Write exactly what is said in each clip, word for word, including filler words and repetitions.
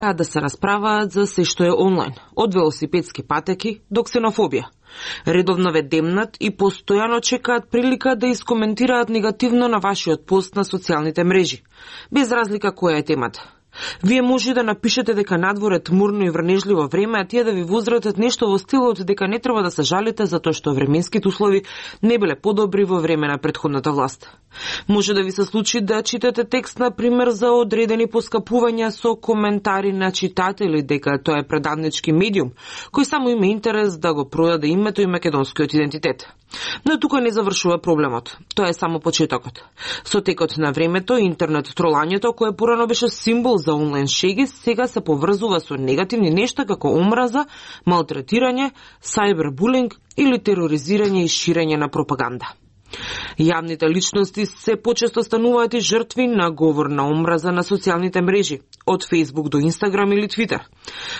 да се расправаат за се што е онлайн, од велосипедски патеки до ксенофобија. Редовно ве демнат и постојано чекаат прилика да искоментираат негативно на вашиот пост на социјалните мрежи, без разлика која е темата. Вие може да напишете дека надвор е тмурно и врнежливо време, а тие да ви возратат нешто во стилот дека не треба да се жалите затоа што временските услови не биле подобри во време на претходната власт. Може да ви се случи да читате текст, на пример, за одредени поскапувања со коментари на читатели дека тоа е предавнички медиум, кој само има интерес да го продаде името и македонскиот идентитет. Но тука не завршува проблемот. Тоа е само почетокот. Со текот на времето, интернет тролањето, кое порано беше символ за онлайн шеги, сега се поврзува со негативни нешта како омраза, малтретирање, сајбербулинг или тероризирање и ширење на пропаганда. Јавните личности се почесто стануваат и жртви на говор на омраза на социјалните мрежи, од Facebook до Instagram или Twitter.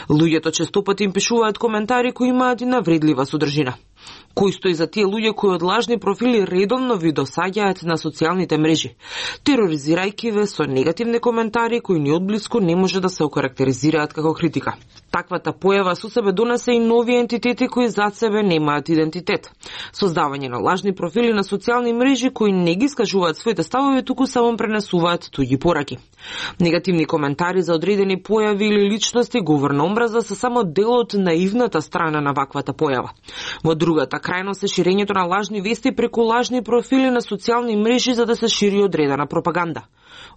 Луѓето честопати им пишуваат коментари кои имаат и навредлива содржина. Кој стои за тие луѓе кои од лажни профили редовно ви досаѓаат на социјалните мрежи, тероризирајќи ве со негативни коментари кои ни одблиску не може да се окарактеризираат како критика. Таквата појава со себе донесе и нови ентитети кои зад себе немаат идентитет. Создавање на лажни профили на социјални мрежи кои не ги скажуваат своите ставови, туку само пренесуваат туѓи пораки. Негативни коментари за одредени појави или личности, говор на омраза се само дел од наивната страна на ваквата појава. Во другата крајност е ширењето на лажни вести преку лажни профили на социјални мрежи за да се шири одредена пропаганда.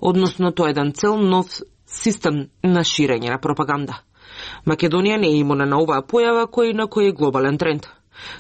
Односно, тоа е еден цел нов систем на ширење на пропаганда. Македонија не е имуна на оваа појава кој на кој е глобален тренд.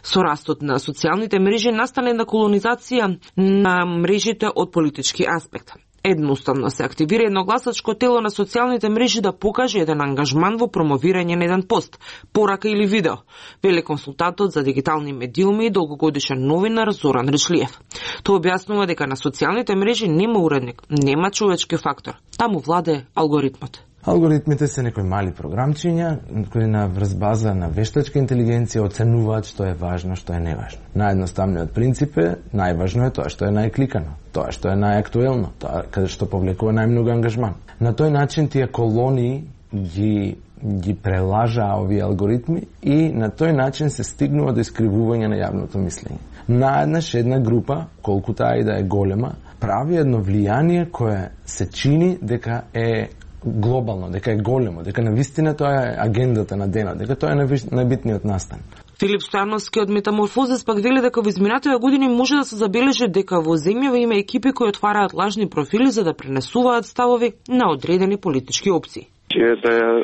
Со растот на социјалните мрежи настане една колонизација на мрежите од политички аспект. Едноставно се активира едно гласачко тело на социјалните мрежи да покаже еден ангажман во промовирање на еден пост, порака или видео, вели консултантот за дигитални медиуми и долгогодишен новинар Зоран Речлиев. Тој објаснува дека на социјалните мрежи нема уредник, нема човечки фактор, таму владее алгоритмот. Алгоритмите се некои мали програмчиња кои на врз база на вештачка интелигенција оценуваат што е важно, што е неважно. Наједноставниот принцип е најважно е тоа што е најкликано, тоа што е најактуелно, тоа каде што повлекува најмногу ангажман. На тој начин тие колонии ги ги прелажаа овие алгоритми и на тој начин се стигнува до искривување на јавното мислење. Наеднаш една група, колку таа и да е голема, прави едно влијание кое се чини дека е глобално, дека е големо, дека навистина тоа е агендата на денот, дека тоа е најбитниот настан. Филип Стојановски од Метаморфозис пак вели дека во изминатите години може да се забележи дека во земјава има екипи кои отвараат лажни профили за да пренесуваат ставови на одредени политички опции. Е да